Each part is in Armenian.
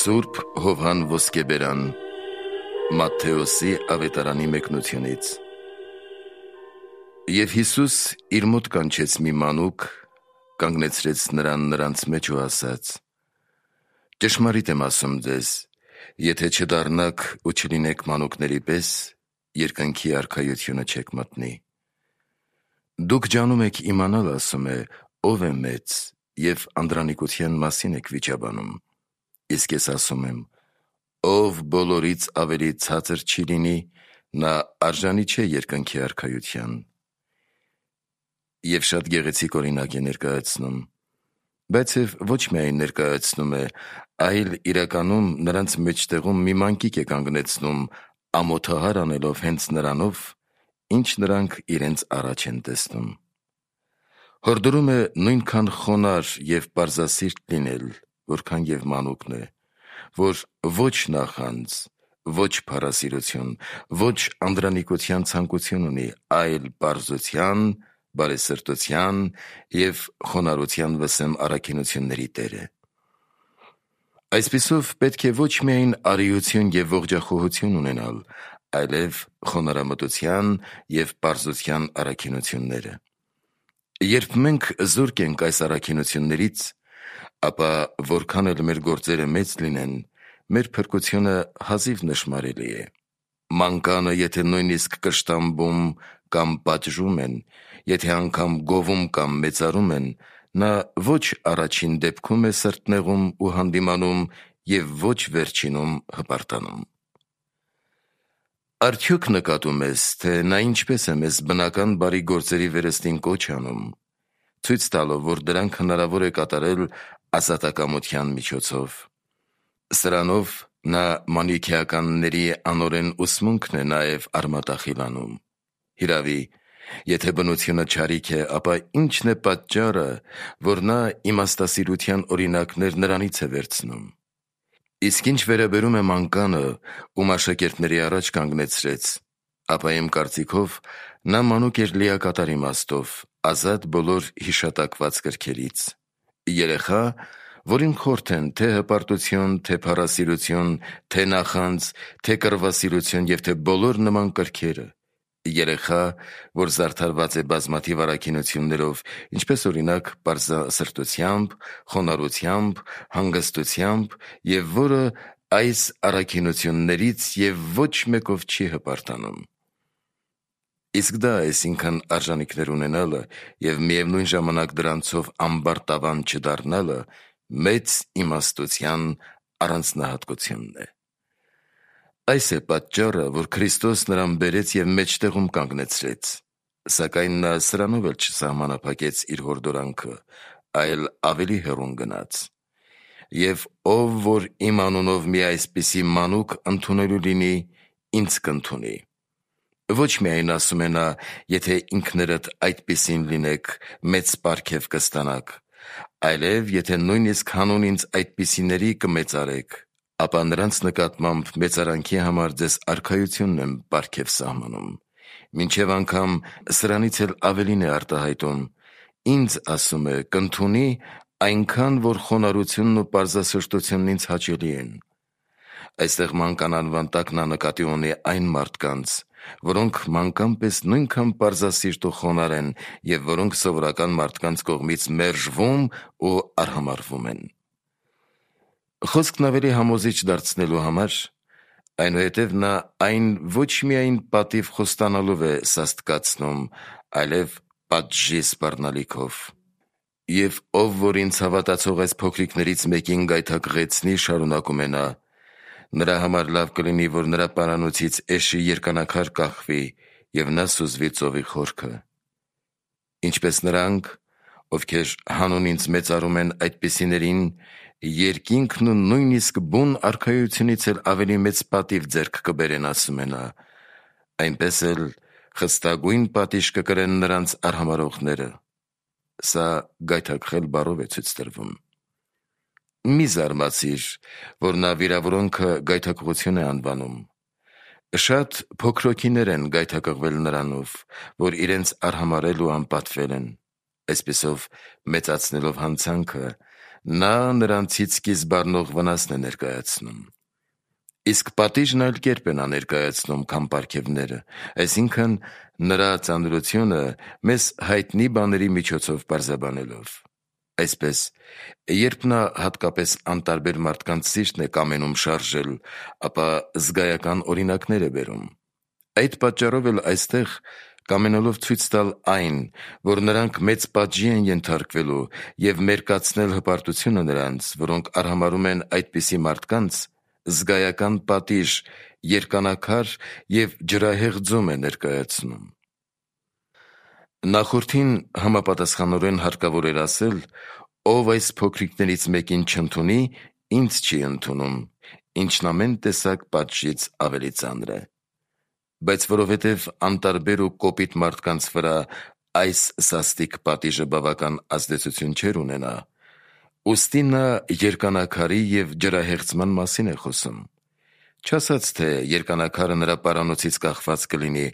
Սուրբ Հովհան Ոսկեբերան Մատթեոսի ավետարանի մեկնությունից։ Եվ Հիսուս իր մոտ կանչեց մի մանուկ, կանգնեցրեց նրան նրանց մեջ ու ասաց. «Ճշմարիտ եմ ասում ձեզ, եթե չդառնաք ու չլինեք մանուկների պես, երկնքի արքայությունը չեք մտնի։ Դուք ջանում եք իմանալ, ասում է, ով է մեծ, և անդրանիկության մասին եք վիճաբանում։ Իսկ ես ասում եմ, ով բոլորից ավելի ցածր չի լինի, նա արժանի չէ երկնքի արքայության»։ Եվ շատ գեղեցիկ օրինակ է ներկայացնում, բայց և ոչ միայն ներկայացնում է, այլ իրականում նրանց մեջտեղում մի մանկիկ է կանգնեցնում, ամոթահար անելով հենց նրանով, ինչ նրանք իրենց առաջ են տեսնում։ Հորդորում է նույնքան խոնարհ և պարզասիրտ լինել, որքան և մանուկն է, որ ոչ նախանձ, ոչ փառասիրություն, ոչ անդրանիկության ցանկություն ունի, այլ պարզության, բարեսրտության և խոնարհության վսեմ առաքինությունների տեր է։ Այսպիսով պետք է ոչ միայն արիություն և ողջախոհություն ունենալ, այլև խոնարհամտության և պարզության առաքինությունները։ Երբ մենք զուրկ ենք այս առաքինություններից, ապա որքան էլ մեր գործերը մեծ լինեն, մեր փրկությունը հազիվ նշմարելի է։ Մանկանը եթե նույնիսկ կշտամբում կամ պատժում են, եթե անգամ գովում կամ մեծարում են, նա ոչ առաջին դեպքում է սրտնեղում ու հանդիմանում և ոչ վերջինում հպարտանում։ Արդյոք նկատում ես, թե նա ինչպես է մեզ բնական բարի գործերի վերստին կոչ անում, ցույց տալով, որ դրանք հնարավոր է կատարել ազատակամության միջոցով։ Սրանով նա մանիքեականների անօրեն ուսմունքն է նաև արմատախիլանում։ Հիրավի, եթե բնությունը չարիք է, ապա ի՞նչն է պատճառը, որ նա իմաստասիրության օրինակներ նրանից է վերցնում։ Իսկ ինչ վերաբերում է մանկանը, ում աշակերտների առաջ կանգնեցրեց, ապա իմ կարծիքով նա մանուկ էր լիակատար իմաստով, ազատ բոլոր հիշատակված կրքերից։ Երեխա, որին խորթ են թե հպարտություն, թե փառասիրություն, թե նախանձ, թե կռվասիրություն և թե բոլոր նման կրքերը։ Երեխա, որ զարդարված է բազմաթիվ առաքինություններով, ինչպես օրինակ պարզասրտությամբ, խոնարհությամբ, հանգստությամբ, և որը այս առաքինություններից և ոչ մեկով չի հպարտանում։ Իսկ դա այսինքն արժանիքներ ունենալը և միևնույն ժամանակ դրանցով ամբարտավան չդառնալը մեծ իմաստության առանձնահատկությունն է։ Այս է պատճառը, որ Քրիստոս նրան բերեց և մեջտեղում կանգնեցրեց, սակայն նա սրանով էլ չսահմանափակեց իր հորդորանքը, այլ ավելի հեռուն գնաց. «Եվ ով որ իմ անունով մի այսպիսի մանուկ ընդունելու լինի, ինձ կընդունի»։ Ոչ միայն ասում է նա, եթե ինքներդ այդպիսին լինեք, մեծ պարգև կստանաք, այլև եթե նույնիսկ հանուն ինձ այդպիսիների կմեծարեք, ապա նրանց նկատմամբ մեծարանքի համար ձեզ արքայությունն եմ պարգև սահմանում։ Մինչև անգամ սրանից էլ ավելին է արտահայտում. ինձ, ասում է, կընդունի այնքան, որ խոնարհությունն ու պարզասրտությունն ինձ հաճելի են։ Այստեղ մանկան անվան տակ նա նկատի ունի այն մարդկանց, որոնք մանկան պես նույնքան պարզասիրտ ու խոնարհ են և որոնք սովորական մարդկանց կողմից մերժվում ու արհամարհվում են։ Խոսքն ավելի համոզիչ դարձնելու համար, այնուհետև նա այն ոչ միայն պատիվ խոստանալով է սաստկացնում, այլև պատժի սպառնալիքով։ «Եվ ով որ ինձ հավատացող այս փոքրիկներից մեկին գայթակղեցնի, շարունակում է նա, նրա համար լավ կլինի, որ նրա պարանոցից էշի երկանաքար կախվի, և նա սուզվի ծովի խորքը։ Ինչպես նրանք, ովքեր հանուն ինձ մեծարում են այդպիսիներին, երկինքն ու նույնիսկ բուն արքայությունից էլ ավելի մեծ պատիվ ձեռք կբերեն, ասում է նա, այնպես էլ խստագույն պատիժ կկրեն նրանց արհամարհողները»։ Սա գայթակղել բառով է ցույց տրվում։ Մի զարմացիր, որ նա վիրավորոնքը գայթակղություն է անվանում։ Շատ փոքրոքիներ են գայթակղվել նրանով, որ իրենց արհամարհել ու անպատվել են, այսպիսով մեծացնելով հանցանքը, նա նրանցից սկիզբ առնող վնասն է ներկայացնում։ Իսկ պատիժն այլ կերպ են ներկայացնում, քան պարգևները, այսինքն նրա ծանրությունը մեզ հայտնի բաների միջոցով պարզաբանելով։ Այսպես, երբ նա հատկապես անտարբեր մարդկանց սիրտն է կամենում շարժել, ապա զգայական օրինակներ է բերում։ Այդ պատճառով էլ այստեղ կամենալով ցույց տալ այն, որ նրանք մեծ պատժի են ենթարկվելու և մերկացնել հպարտությունը նրանց, որոնք արհամարհում են այդպիսի մարդկանց, զգայական պատիժ, երկանակար և ջրահեղ ձում է ներկայացնում։ Նախորդին համապատասխանորեն հարկավոր էր ասել. «Ով այս փոքրիկներից մեկին չընդունի, ինձ չի ընդունում, ինչն ամեն տեսակ պատժից ավելի ծանր է»։ Բայց որովհետև անտարբեր ու կոպիտ մարդկանց վրա այս սաստիկ պատիժը բավական ազդեցություն չէր ունենա, ուստի նա երկանակարի և ջրահեղձման մասին է խոսում։ Չասած, թե երկանակարը նրա պարանոցից կախված կլինի,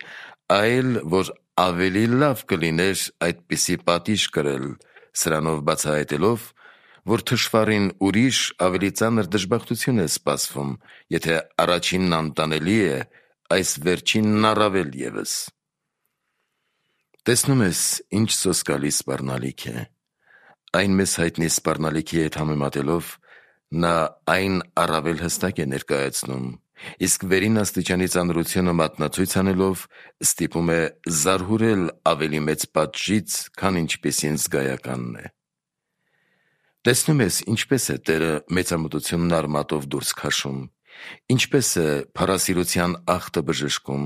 այլ որ ավելի լավ կլիներ այդպիսի պատիժ կրել, սրանով բացահայտելով, որ թշվառին ուրիշ ավելի ծանր դժբախտություն է սպասվում, եթե առաջինն անտանելի է, այս վերջինն առավել ևս։ Տեսնում ես, ինչ սոսկալի սպառնալիք է։ Այն մեզ հայտնի սպառնալիքի հետ համեմատելով, նա այն առավել հստակ է ներկայացնում, իսկ վերին աստիճանի ծանրությունը մատնացույց անելով, ստիպում է զարհուրել ավելի մեծ պատժից, քան ինչպիսին զգայականն է։ Տեսնում ես, ինչպես է Տերը մեծամտությունն արմատով դուրս քաշում, ինչպես է փառասիրության աղտը բժշկում,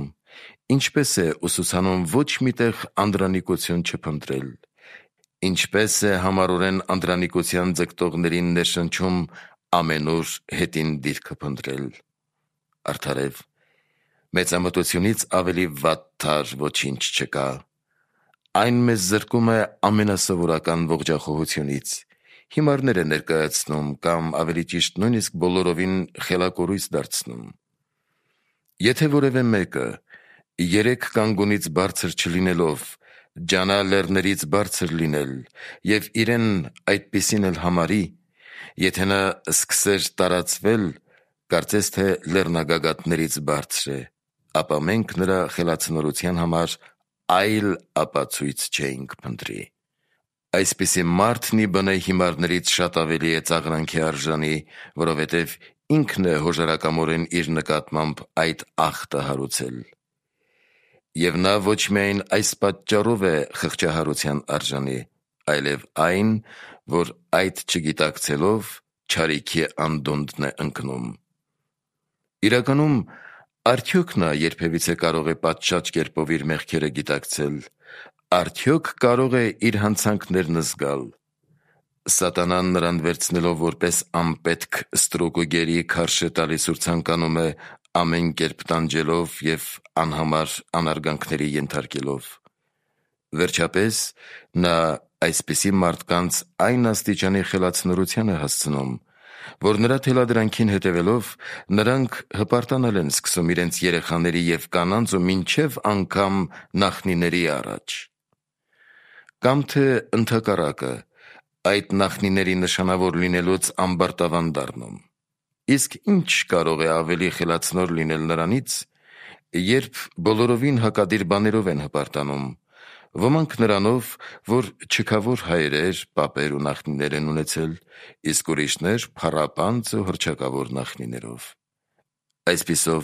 ինչպես է ուսուցանում ոչ մի տեղ անդրանիկություն չփնտրել, ինչպես է համառորեն անդրանիկության ձգտողներին ներշնչում ամենուր հետին դիրքը փնտրել։ Արդարև, մեծամտությունից ավելի վատթար ոչինչ չկա։ Այն մեզ զրկում է ամենասովորական ողջախոհությունից, հիմարներ է ներկայացնում կամ ավելի ճիշտ նույնիսկ բոլորովին խելակորույս դարձնում։ Եթե որևէ մեկը 3 կանգունից բարձր չլինելով, ջանա լեռներից բարձր լինել և իրեն այդպիսին էլ համարի, եթե նա սկսեր տարածվել, կարծես թե լեռնագագաթներից բարձր է, ապա մենք նրա խելացնորության համար այլ ապացույց չէինք փնտրի։ Այսպիսի մարդն ի բնե հիմարներից շատ ավելի է ծաղրանքի արժանի, որովհետև ինքն է հոժարակամորեն իր նկատմամբ այդ աղտը հարուցել։ Եվ նա ոչ միայն այս պատճառով է խղճահարության արժանի, այլև այն, որ այդ չգիտակցելով չարիքի անդունդն է ընկնում։ Իրականում, արդյոք նա երբևիցե կարող է պատշաճ կերպով իր մեղքերը գիտակցել, արդյոք կարող է իր հանցանքներն զգալ։ Սատանան նրան վերցնելով որպես անպետք ստրուկ ու գերի քարշ է տալիս ու ցանկանում է ամեն կերպ տանջելով և անհամար անարգանքների ենթարկելով։ Վերջապես, նա այսպիսի մարդկանց այն աստիճանի խելացնորության է հասցնում, որ նրա թելադրանքին հետևելով, նրանք հպարտանալ են սկսում իրենց երեխաների և կանանց ու մինչև անգամ նախնիների առաջ։ Կամ թե ընդհակառակը, այդ նախնիների նշանավոր լինելուց ամբարտավան դառնում։ Իսկ ինչ կարող է ավելի խելացնոր լինել նրանից, երբ բոլորովին հակադիր բաներով են հպարտանում, ոմանք նրանով, որ չքավոր հայրեր, պապեր ու նախնիներ են ունեցել, իսկ ուրիշներ փառապանծ ու հռչակավոր նախնիներով։ Այսպիսով,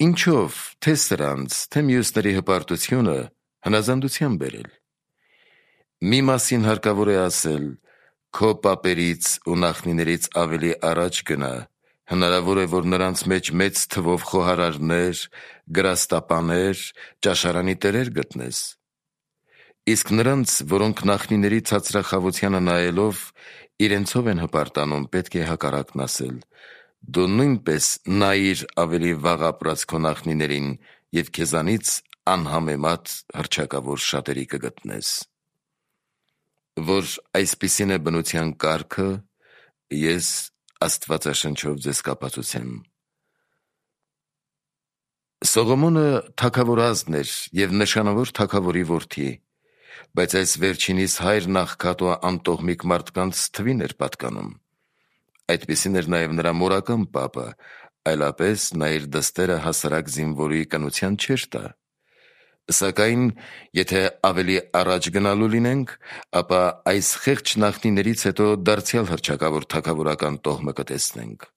ինչով թե սրանց, թե մյուսների հպարտությունը հնազանդության բերել։ Մի մասին հարկավոր է ասել. քո պապերից ու նախնիներից ավելի առաջ գնա, հնարավոր է, որ նրանց մեջ մեծ թվով խոհարարներ, գրաստապաներ, ճաշարանի տերեր գտնես։ Իսկ նրանց, որոնք նախնիների ցածրախավությանը նայելով իրենցով են հպարտանում, պետք է հակառակն ասել. դու նույնպես նայիր ավելի վաղ ապրած քո նախնիներին և քեզանից անհամեմատ հռչակավոր շատերի կգտնես։ Որ այսպիսին է բնության կարգը, ես Աստվածաշնչով ձեզ կապացուցեմ։ Սողոմոնը թագավորազն էր և նշանավոր թագավորի որդի, բայց այս վերջինիս հայրն աղքատ ու անտոհմիկ մարդկանց թվին էր պատկանում։ Այդպիսին էր նաև նրա մորական պապը, այլապես նա իր դստերը հասարակ զինվորի կնության չէր տա։ Սակայն, եթե ավելի առաջ գնալու լինենք, ապա այս խեղճ նախնիներից հետո դարձյալ հռչակավոր թագավորական տոհմը կտեսնենք։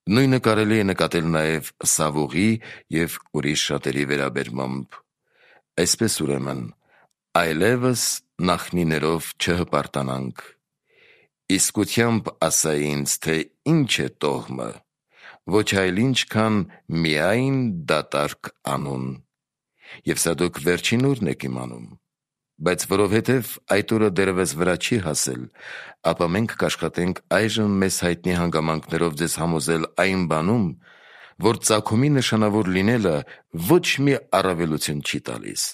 Նույնը կարելի է նկատել նաև Սավուղի և ուրիշ շատերի վերաբերմամբ։ Այսպես ուրեմն, այլևս նախնիներով չհպարտանանք։ Իսկությամբ ասա ինձ, թե ինչ է տոհմը, ոչ այլ ինչ քան միայն դատարկ անուն։ Եվ սա դուք վերջին օրն եք իմանում, բայց որովհետև այդ օրը դեռևս վրա չի հասել, ապա մենք կաշխատենք այժմ մեզ հայտնի հանգամանքներով ձեզ համոզել այն բանում, որ ծագումի նշանավոր լինելը ոչ մի առավելություն չի տալիս։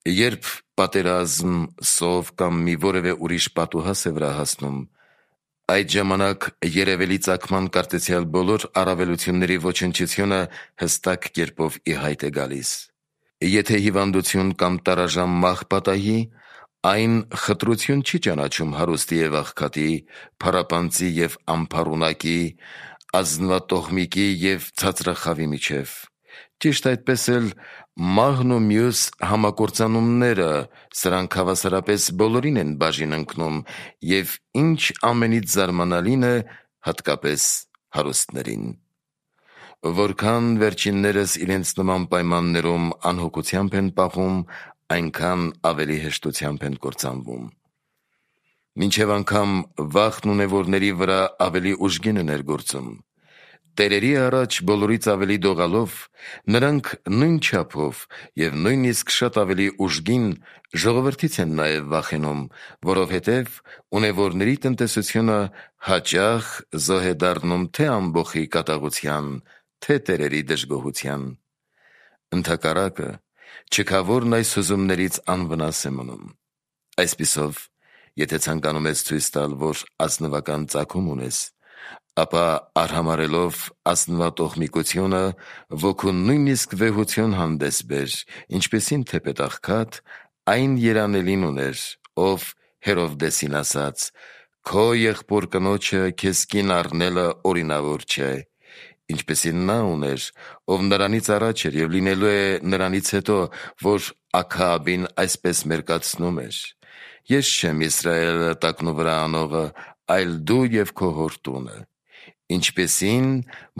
Երբ պատերազմ, սով կամ մի որևէ ուրիշ պատուհաս է վրա հասնում, այդ ժամանակ երևելի ծագման կարծեցյալ բոլոր առավելությունների ոչնչությունը հստակ կերպով ի հայտ է գալիս։ Եթե հիվանդություն կամ տարաժամ մահ պատահի, այն խտրություն չի ճանաչում հարուստի և աղքատի, փառապանծի և անփառունակի, ազնվատոհմիկի և ցածրախավի միջև։ Ճիշտ այդպես էլ մահն ու մյուս համակործանումները, սրանք հավասարապես բոլորին են բաժին ընկնում, և ինչ ամենից զարմանալին է, հատկապես հարուստներին։ Որքան վերջիններս իրենց նման պայմաններում անհոգությամբ են պահում, այնքան ավելի հեշտությամբ են կործանվում։ Մինչև անգամ վախն ունևորների վրա ավելի ուժգին է ներգործում։ Տերերի առաջ բոլորից ավելի դողալով, նրանք նույն չափով և նույնիսկ շատ ավելի ուժգին ժողովրդից են նաև վախենում, որովհետև ունևորների տնտեսությունը հաճախ զոհ է դառնում թե ամբոխի կատաղության, թե տերերի դժգոհության։ Ընդհակառակը, չքավորն այս հուզումներից անվնաս է մնում։ Այսպիսով, եթե ցանկանում ես ցույց տալ, որ ազնվական ծագում ունես, ապա արհամարհելով ազնվատոհմիկությունը, ոգուն նույնիսկ վեհություն հանդես բեր, ինչպիսին թեպետ աղքատ, այն երանելին ուներ, ով Հերովդեսին ասաց. «Քո եղբոր կնոջը քեզ կին առնելը օրինավոր չէ», ինչպիսին նա ուներ, ով նրանից առաջ էր և լինելու է նրանից հետո, որ Աքաաբին այսպես մերկացնում էր. «Ես չեմ Իսրայելը տակնու վրա անողը, այլ դու և քո հոր տունը», ինչպիսին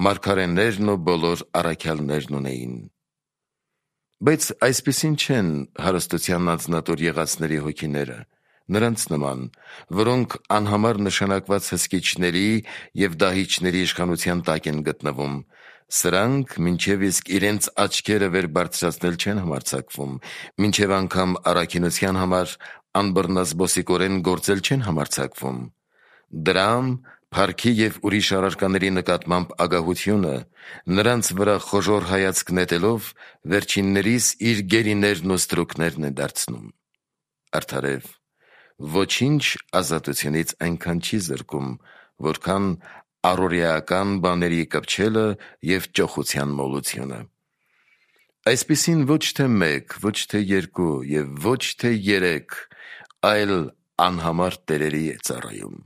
մարգարեներն ու բոլոր առաքյալներն ունեին։ Բայց այսպիսին չեն հարստության անձնատուր եղածների հոգիները, նրանց նման, որոնք անհամար նշանակված հսկիչների և դահիճների իշխանության տակ են գտնվում։ Սրանք մինչև իսկ իրենց աչքերը վեր բարձրացնել չեն համարձակվում, մինչև անգամ առաքինության համար անբռնազբոսիկորեն գործել չեն համարձակվում։ Դրամ, փառքի և ուրիշ առարկաների նկատմամբ ագահությունը, նրանց վրա խոժոռ հայացք նետելով, վերջիններիս իր գերիներն ու ստրուկներն է դարձնում։ Արդարև, ոչինչ ազատությունից այնքան չի զրկում, որքան առօրեական բաների կպչելը և ճոխության մոլությունը։ Այսպիսին ոչ թե մեկ, ոչ թե երկու և ոչ թե երեք, այլ անհամար տերերի է ծառայում։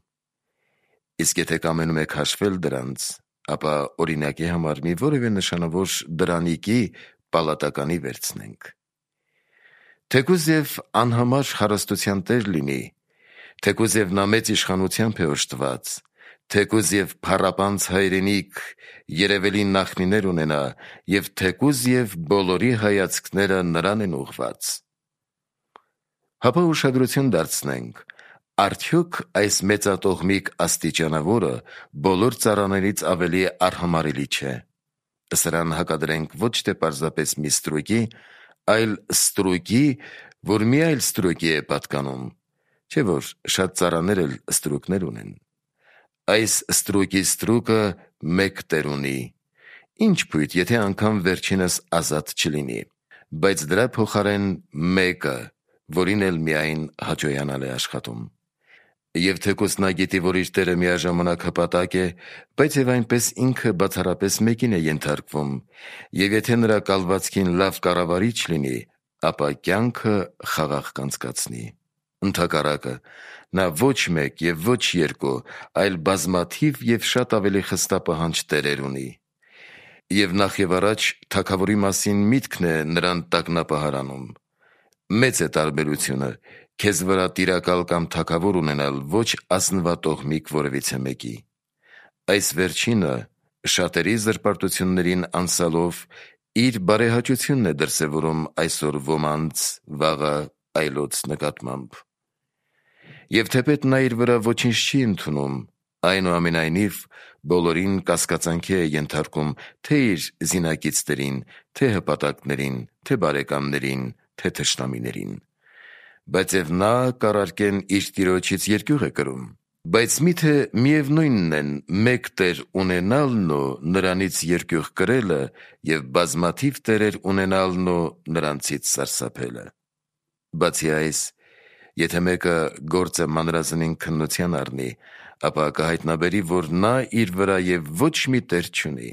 Իսկ եթե կամենում եք հաշվել դրանց, ապա օրինակի համար մի որևէ նշանավոր դրանիկի պալատականի վերցնենք։ Թեկուզ և անհամար հարստության տեր լինի, թեկուզ և նա մեծ իշխանությամբ է օժտված, թեկուզ և փառապանծ հայրենիք, երևելի նախնիներ ունենա, և թեկուզ և բոլորի հայացքները նրան են ուղված։ Հապա ուշադրություն դարձնենք, արդյոք այս մեծատոհմիկ աստիճանավորը բոլոր ծառաներից ավելի արհամարհելի չէ։ Սրան հակադրենք ոչ թե պարզապես մի ստրուկի, այլ ստրուկի, որ մի այլ ստրուկի է պատկանում, չէ՞ որ շատ ծառաներ էլ ստրուկներ ունեն։ Այս ստրուկի ստրուկը մեկ տեր ունի, ինչ փույթ, եթե անգամ վերջինս ազատ չլինի, բայց դրա փոխարեն մեկը, որին էլ միայն հաճոյանալ է աշխատում։ Եվ թեկուզ նա գիտի, որ իր տերը միաժամանակ հպատակ է, բայց և այնպես ինքը բացառապես մեկին է ենթարկվում, և եթե նրա կալվածքին լավ կառավարիչ լինի, ապա կյանքը խաղաղ կանցկացնի։ Ընդհակառակը, նա ոչ մեկ և ոչ երկու, այլ բազմաթիվ և շատ ավելի խստապահանջ տերեր ունի։ Եվ նախ և առաջ թագավորի մասին միտքն է նրան տագնապահարանում։ Մեծ է տարբերությունը քեզ վրա տիրակալ կամ թագավոր ունենալ ոչ ազնվատոհմիկ որևիցե մեկի։ Այս վերջինը շատերի զրպարտություններին անցալով իր բարեհաճությունն է դրսևորում այսօր ոմանց, վաղը այլոց նկատմամբ։ Եվ թեպետ նա իր վրա ոչինչ չի ընդունում, այնուամենայնիվ բոլորին կասկածանքի է ենթարկում թե իր զինակիցներին, թե հպատակներին, թե բարեկամներին, թե թշնամիներին։ Բայց և նա կառարկեն իր տիրոջից երկյուղ է կրում։ Բայց միթե միևնույնն են մեկ տեր ունենալն ու նրանից երկյուղ կրելը և բազմաթիվ տերեր ունենալն ու նրանցից սարսափելը։ Բացի այս, եթե մեկը գործը մանրազնին քննության առնի, ապա կհայտնաբերի, որ նա իր վրա և ոչ մի տեր չունի։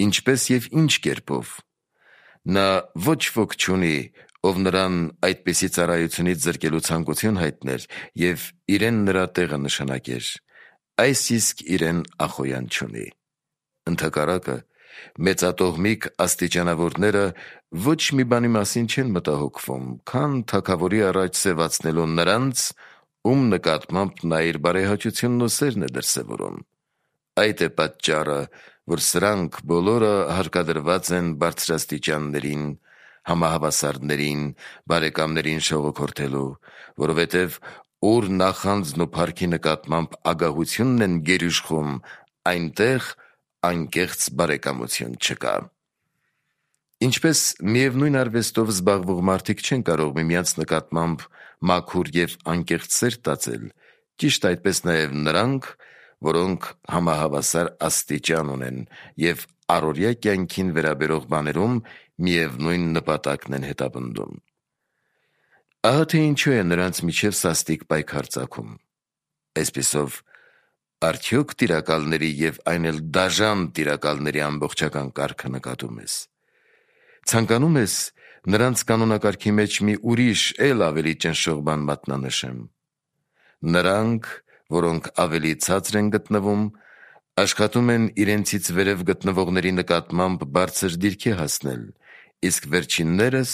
Ինչպես և ինչ կերպով։ Նա ոչ ոք չունի, ով նրան այդպիսի ծառայությունից զրկելու ցանկություն հայտներ և իրեն նրա տեղը նշանակեր, այս իսկ իրեն ախոյան չունի։ Ընդհակառակը, մեծատոհմիկ աստիճանավորները ոչ մի բանի մասին չեն մտահոգվում, քան թագավորի առաջ սևացնելու նրանց, ում նկատմամբ նա իր բարեհաճությունն ու սերն է դրսևորում։ Այդ է պատճառը, որ սրանք բոլորը հարկադրված են բարձրաստիճաններին, համահավասարներին, բարեկամներին շողոքորթելու, որովհետև ուր նախանձն ու փառքի նկատմամբ ագահությունն են գերիշխում, այնտեղ անկեղծ բարեկամություն չկա։ Ինչպես միևնույն արվեստով զբաղվող մարդիկ չեն կարող միմյանց նկատմամբ մաքուր և անկեղծ սեր տածել, ճիշտ այդպես նաև նրանք, որոնք համահավասար աստիճան ունեն և առօրյա կյանքին վերաբերող բաներում միևնույն նպատակն են հետապնդում։ Ահա թե ինչու է նրանց միջև սաստիկ պայքար ծագում։ Այսպիսով, արդյոք տիրակալների և այն էլ դաժան տիրակալների ամբողջական կարգը նկատում ես։ Ցանկանում ես նրանց կանոնակարգի մեջ մի ուրիշ էլ ավելի ճնշող բան մատնանշեմ։ Նրանք, որոնք ավելի ցածր են գտնվում, աշխատում են իրենցից վերև գտնվողների նկատմամբ բարձր դիրքի հասնել, իսկ վերջիններս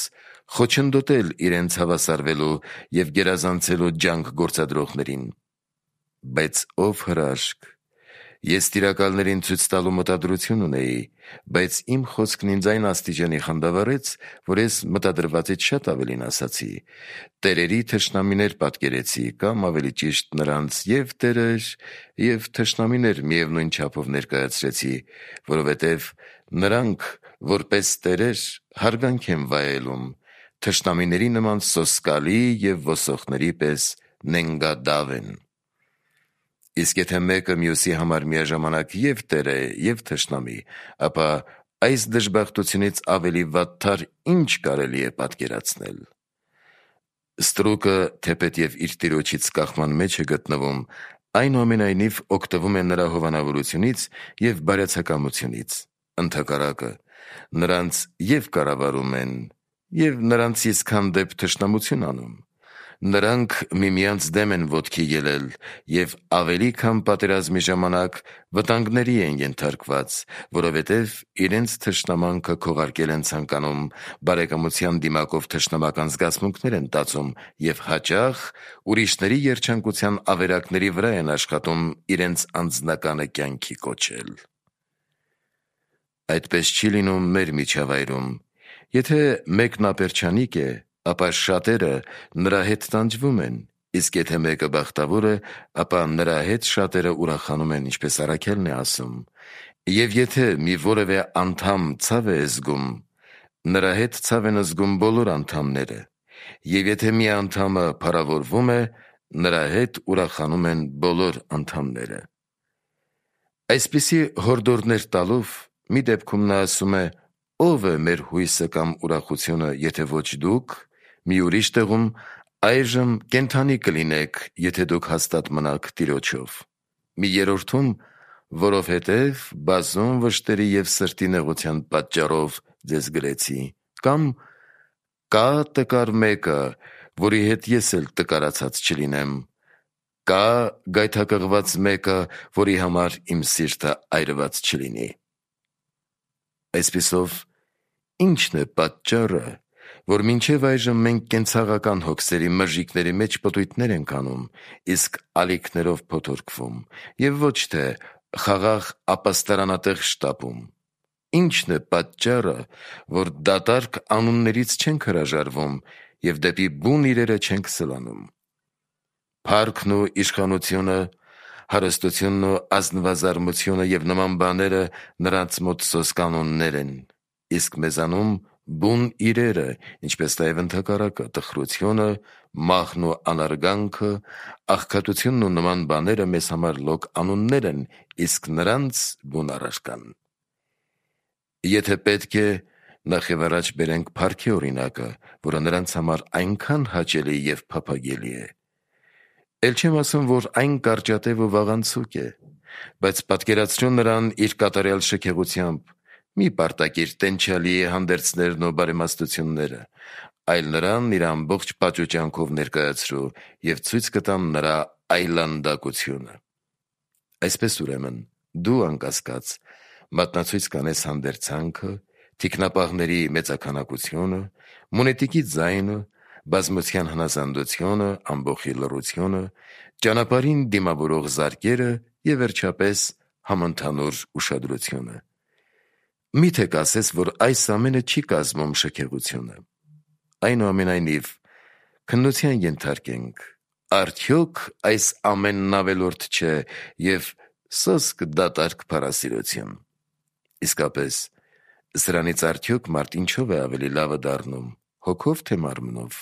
խոչընդոտել իրենց հավասարվելու և գերազանցելու ջանք գործադրողներին։ Բայց ով հրաշք, ես տիրակալներին ցույց տալու մտադրություն ունեի, բայց իմ խոսքն ինձ այն աստիճանի խանդավառեց, որ ես մտադրվածից շատ ավելին ասացի, տերերի թշնամիներ պատկերեցի, կամ ավելի ճիշտ նրանց և տերեր, և թշնամիներ միևնույն չափով ներկայացրեցի, որովհետև նրանք որպես տերեր հարգանք են վայելում, թշնամիների նման սոսկալի և ոսոխների պես նենգադավ են։ Իսկ եթե մեկը մյուսի համար միաժամանակ և տեր է, և թշնամի, ապա այս դժբախտությունից ավելի վատթար ինչ կարելի է պատկերացնել։ Ստրուկը, թեպետ և իր տիրոջից կախման մեջ է գտնվում, այնուամենայնիվ օգտվում է նրա հովանավորությունից և բարյացակամությունից։ Ընդհակառակը, նրանց և կառավարում են, և նրանցից հանդեպ թշնամություն անում։ Նրանք միմյանց դեմ են ոտքի ելել և ավելի քան պատերազմի ժամանակ վտանգների են ենթարկված, որովհետև իրենց թշնամանքը քողարկել են ցանկանում, բարեկամության դիմակով թշնամական զգացմունքներ են տածում և հաճախ ուրիշների երջանկության ավերակների վրա են աշխատում իրենց անձնականը կյանքի կոչել։ Այդպես չի լինում մեր միջավայրում։ Եթե մեկն ապերջանիկ է, ապա շատերը նրա հետ տանջվում են, իսկ եթե մեկը բախտավոր է, ապա նրա հետ շատերը ուրախանում են, ինչպես Առաքելն է ասում. «Եվ եթե մի որևէ անդամ ցավ է զգում, նրա հետ ցավ են զգում բոլոր անդամները, և եթե մի անդամը փառավորվում է, նրա հետ ուրախանում են բոլոր անդամները»։ Այսպիսի հորդորներ տալով, մի դեպքում նա ասում է. «Ո՞վ է մեր հույսը կամ ուրախությունը, եթե ոչ դուք», մի ուրիշ տեղում. «Այժմ կենդանի կլինեք, եթե դուք հաստատ մնաք Տիրոջով»։ Մի երրորդում. «Որովհետև բազում վշտերի և սրտի նեղության պատճառով ձեզ գրեցի», կամ Կա տկար մեկը, որի հետ ես էլ տկարացած չլինեմ, կա գայթակղված մեկը, որի համար իմ սիրտը այրված չլինի։ Այսպիսով, ի՞նչն է պատճառը, որ մինչև այժմ մենք կենցաղական հոգսերի մրժիկների մեջ պտույտներ ենք անում, իսկ ալիքներով փոթորկվում, և ոչ թե խաղաղ ապաստարանատեղ շտապում։ Ի՞նչն է պատճառը, որ դատարկ անուններից չենք հրաժարվում և դեպի բուն իրերը չենք սլանում։ Փառքն ու իշխանությունը, հարստությունն ու ազնվազարմությունը և նման բաները նրանց մոտ սոսկանոններ են, իսկ մեզանում բուն իրերը, ինչպես նաև ընդհակառակը տխրությունը, մահն ու անարգանքը, աղքատությունն ու նման բաները մեզ համար լոկ անուններ են, իսկ նրանց բուն առարկան։ Եթե պետք է, նախ և առաջ բերենք փառքի օրինակը, որը նրանց համար այնքան հաճելի և փափագելի է։ Էլ չեմ ասում, որ այն կարճատև ու վաղանցուկ է, բայց պատկերացրու նրան իր կատարյալ շքեղությամբ, մի պարտակիր տենչալի հանդերձներն ու բարեմաստությունները, այլ նրան իր ամբողջ պատշուճանքով ներկայացրու և ցույց կտամ նրա այլանդակությունը։ Այսպես ուրեմն, դու անկասկած մատնացույց կանես հանդերձանքը, թիկնապահների մեծաքանակությունը, մունետիկի ձայնը, բազմության հնազանդությունը, ամբոխի լռությունը, ճանապարհին դիմավորող զարկերը և վերջապես համընդհանուր ուշադրությունը։ Միթե կասես, որ այս ամենը չի կազմում շքեղությունը։ Այնուամենայնիվ, քննության ենթարկենք, արդյոք այս ամենն ավելորդ չէ և սոսկ դատարկ փառասիրություն։ Իսկապես, սրանից արդյոք մարդ ինչով է ավելի լավը դառնում, հոգով թե մարմնով,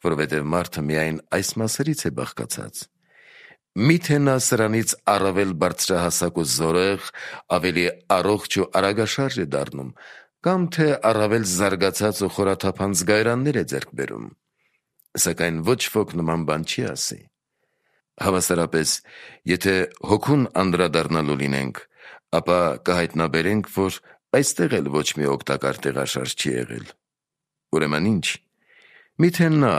որովհետև մարդը միայն այս մասերից է բաղկացած։ Միթե նա սրանից առավել բարձրահասակ ու զորեղ, ավելի առողջ ու արագաշարժ է դառնում, կամ թե առավել զարգացած ու խորաթափանց զգայարաններ է ձեռք բերում։ Սակայն ոչ ոք նման բան չի ասի։ Հավասարապես, եթե հոգուն անդրադառնալու լինենք, ապա կհայտնաբերենք, որ այստեղ էլ ոչ մի օգտակար տեղաշարժ չի եղել։ Ուրեմն ինչ։ Միթե նա,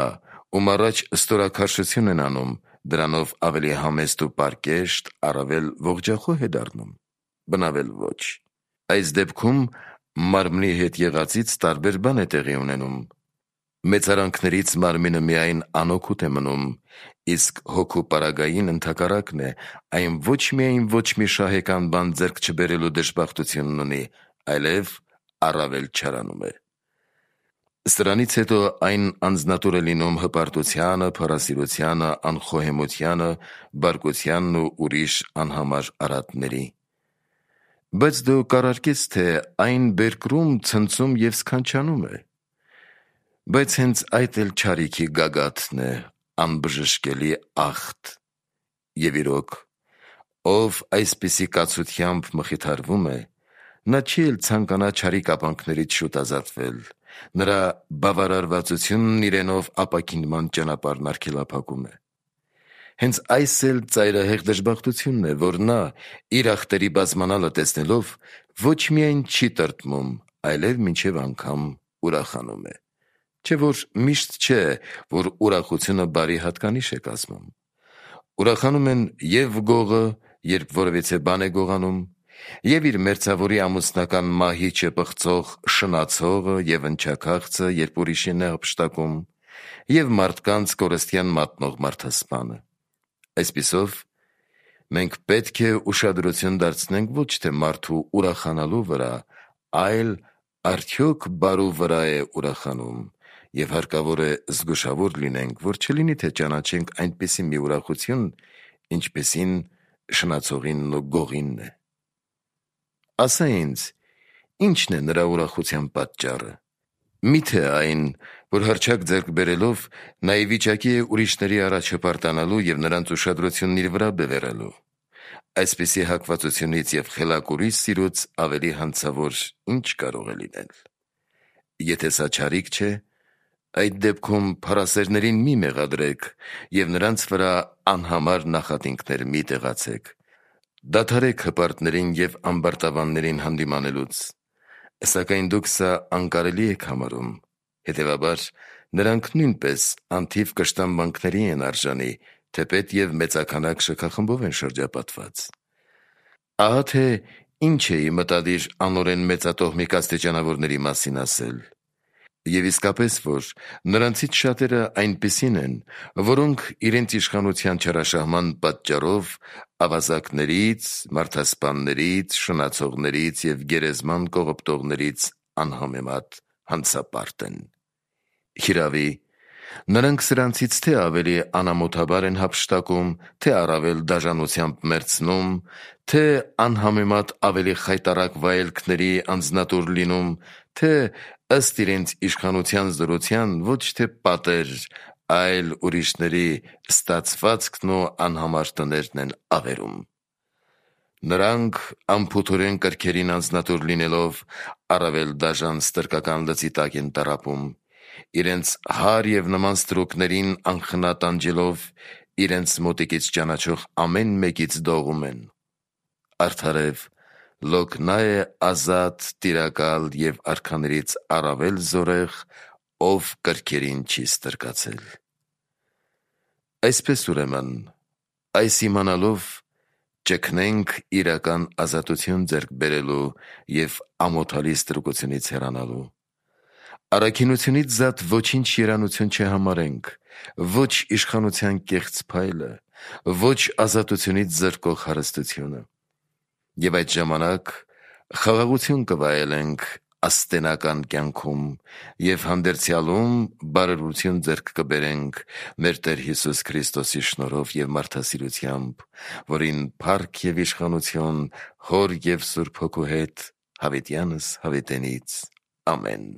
ում առաջ ստորաքարշություն են անում, դրանով ավելի համեստ ու պարկեշտ, առավել ողջախոհ է դառնում։ Բնավել ոչ։ Այս դեպքում մարմնի հետ եղածից տարբեր բան է տեղի ունենում։ Մեծարանքներից մարմինը միայն անօգուտ է մնում, իսկ հոգու պարագային ընդհակառակն է, այն ոչ միայն ոչ մի շահեկան բան ձեռք չբերելու դժբախտությունն ունի, այլև առավել չարանում է։ Սրանից հետո այն անձնատուր է լինում հպարտությանը, փառասիրությանը, անխոհեմությանը, բարկությանն ու ուրիշ անհամար արատների։ Բայց դու կառարկես, թե այն բերկրում, ցնցում և սքանչանում է։ Բայց հենց այդ էլ չարիքի գագաթն է, անբժշկելի ախտ։ Եվ իրոք, ով այսպիսի կացությամբ մխիթարվում է, նա չի էլ ցանկանա չարի կապանքներից շուտ ազատվել, նրա բավարարվածությունն իրենով ապաքինման ճանապարհն արգելափակում է։ Հենց այս էլ ծայրահեղ դժբախտությունն է, որ նա իր ախտերի բազմանալը տեսնելով ոչ միայն չի տրտմում, այլև մինչև անգամ ուրախանում է։ Չէ որ միշտ չէ, որ ուրախությունը բարի հատկանիշ է կազմում։ Ուրախանում են և գողը, երբ որևիցե բան է գողանում, և իր մերձավորի ամուսնական մահիճը պղծող շնացողը և ընչաքաղցը, երբ ուրիշին է հափշտակում, և մարդկանց կորստյան մատնող մարդասպանը։ Այսպիսով, մենք պետք է ուշադրություն դարձնենք ոչ թե մարդու ուրախանալու վրա, այլ արդյոք բարու վրա է ուրախանում, և հարկավոր է զգուշավոր լինենք, որ չլինի, թե ճանաչենք այնպիսի մի ուրախություն, ինչպիսին շնացողինն ու գողինն է։ Ասա ինձ, ի՞նչն է նրա ուրախության պատճառը։ Միթե այն, որ հռչակ ձեռք բերելով նա ի վիճակի է ուրիշների առաջ հպարտանալու և նրանց ուշադրությունն իր վրա բևեռելու։ Այսպիսի հակվածությունից և խելակուրի սիրուց ավելի հանցավոր ինչ կարող է լինել։ Եթե սա չարիք չէ, այդ դեպքում փառասերներին մի մեղադրեք և նրանց վրա անհամար նախատինքներ մի տեղացեք։ Դադարեք հպարտներին և ամբարտավաններին հանդիմանելուց։ Սակայն դուք սա անկարելի եք համարում, Հետևաբար, նրանք նույնպես անթիվ կշտամբանքների են արժանի, թեպետ և մեծաքանակ շքախմբով են շրջապատված։ Ահա թե ինչ էի մտադիր անօրեն մեծատոհմիկ աստիճանավորների մասին ասել։ Եվ իսկապես, որ նրանցից շատերը այնպիսին են, որոնք իրենց իշխանության չարաշահման պատճառով ավազակներից, մարդասպաններից, շնացողներից և գերեզման կողոպտողներից անհամեմատ հանցապարտ են։ Հիրավի, նրանք սրանցից թե ավելի անամոթաբար են հափշտակում, թե առավել դաժանությամբ մերձնում, թե անհամեմատ ավելի խայտառակ վայելքների անձնատուր լինում, թե ըստ իրենց իշխանության զորության ոչ թե պատեր, այլ ուրիշների ստացվածքն ու անհամար տներն են ավերում։ Նրանք անփութորեն կրքերին անձնատուր լինելով առավել դաժան ստրկական լծի տակ են տառապում, իրենց հար և նման ստրուկներին անխնա տանջելով իրենց մոտիկից ճանաչող ամեն մեկից դողում են։ Արդարև, լոկ նա է ազատ, տիրակալ և արքաներից առավել զորեղ, ով կրքերին չի ստրկացել։ Այսպես ուրեմն, այս իմանալով ճգնենք իրական ազատություն ձեռք բերելու և ամոթալի ստրուկությունից հեռանալու։ Առաքինությունից զատ ոչինչ երանություն չհամարենք, ոչ իշխանության կեղծ փայլը, ոչ ազատությունից զրկող հարստությունը։ Եվ այդ ժամանակ խաղաղություն կվայելենք աստենական կյանքում և հանդերձյալում բարօրություն ձեռք կբերենք մեր Տեր Հիսուս Քրիստոսի շնորհով և մարդասիրությամբ, որին փառք և իշխանություն Հոր և Սուրբ Հոգու հետ հավիտյանս հավիտենից։ Ամեն։